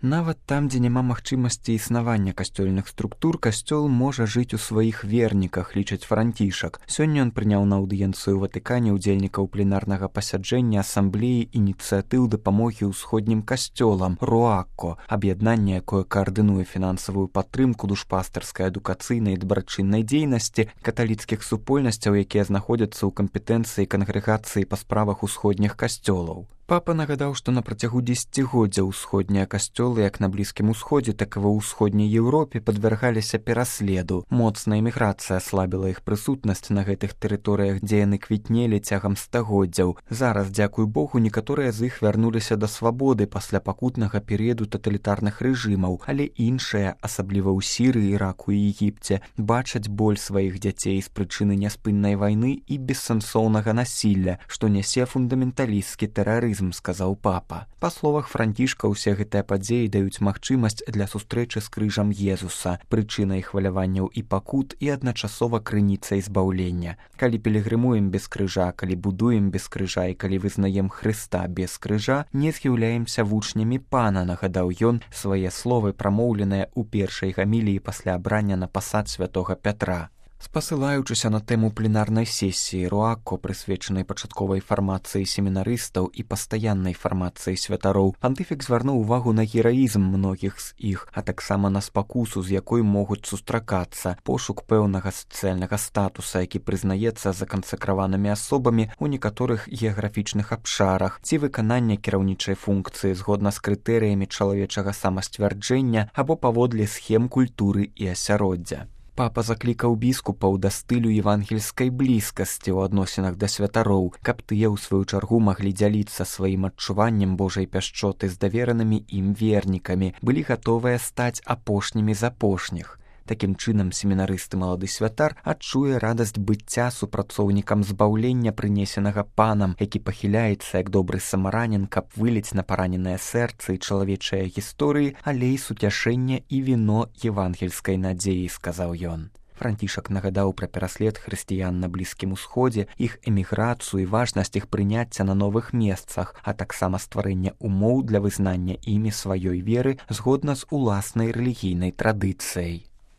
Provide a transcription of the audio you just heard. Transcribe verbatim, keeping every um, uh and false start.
Нават там, дзе няма магчымасці існавання касцёльных структур, касцёл можа жыць у сваіх верніках, лічыць Францішак. Сёння ён прыняў на аўдыенцыю ў Ватыкане ўдзельнікаў пленарнага пасяджэння асамблеі ініцыятыў дапамогі ўсходнім касцёлам «Руакко», аб'яднанне, якое каардынуе фінансавую падтрымку душпастарскай, адукацыйнай і дабрачыннай дзейнасці каталіцкіх супольнасцяў, якія знаходзяцца ў кампетэнцыі кангрэгацыі па справах усходніх касцёлаў. Папа нагадаў, што на працягу дзесяцігоддзя ўсходнія касцёлы як на Блізкім Усходзе, так і ва ўсходняй Еўропе падвяргаліся пераследу. Моцная эміграцыя аслабіла іх прысутнасць на гэтых тэрыторыях, дзе яны квітнелі цягам стагоддзяў. Зараз, дзякуй Богу, некаторыя з іх вярнуліся да свабоды пасля пакутнага перыяду таталітарных рэжымаў, але іншыя, асабліва ў Сірыі, Іраку і Егіпце, бачаць боль сваіх дзяцей з прычыны няспыннай вайны і бессэнсоўнага насілля, што нясе фундаменталісцкі тэрарызм, сказаў папа. Па словах Францішка, усе гэтыя падзеі даюць магчымасць для сустрэчы з крыжам Езуса, прычынай хваляванняў і пакут і адначасова крыніцай збаўлення. Калі пілігрымуем без крыжа, калі будуем без крыжа і калі вызнаем Хрыста без крыжа, не з'яўляемся вучнямі пана, нагадаў ён свае словы, прамоўленыя ў першай гаміліі пасля абрання на пасад святога Пятра. Спасылаючыся на тэму пленарнай сесіі «Руакко», прысвечанай пачатковай фармацыі семінарыстаў і пастаяннай фармацыі святароў, пантыфік звярнуў увагу на гераізм многіх з іх, а таксама на спакусу, з якой могуць сустракацца, пошук пэўнага сацыяльнага статуса, які прызнаецца закансакраванымі асобамі ў некаторых геаграфічных абшарах, ці выканання кіраўнічай функцыі згодна з крытэрыямі чалавечага самасцвярджэння або паводле схем культуры і асяроддзя. Папа заклікаў біскупаў да стылю евангельскай блізкасці ў адносінах да святароў, каб тыя ў сваю чаргу маглі дзяліцца сваім адчуваннем Божай пяшчоты з даверанымі ім вернікамі, былі гатовыя стаць апошнімі з апошніх. Такім чынам, семінарысты малады святар адчуе радасць быцця супрацоўнікам збаўлення, прынесенага панам, які пахіляецца як добры самаранін, каб выліць на параненае сэрца і чалавечыя гісторыі алей суцяшэння і віно евангельскай надзеі, сказаў ён. Францішак нагадаў пра пераслед хрысціян на Блізкім Усходзе, іх эміграцыю і важнасць іх прыняцця на новых месцах, а таксама стварэння умоў для вызнання імі сваёй веры згодна з уласнай рэлігійнай традыцыяй.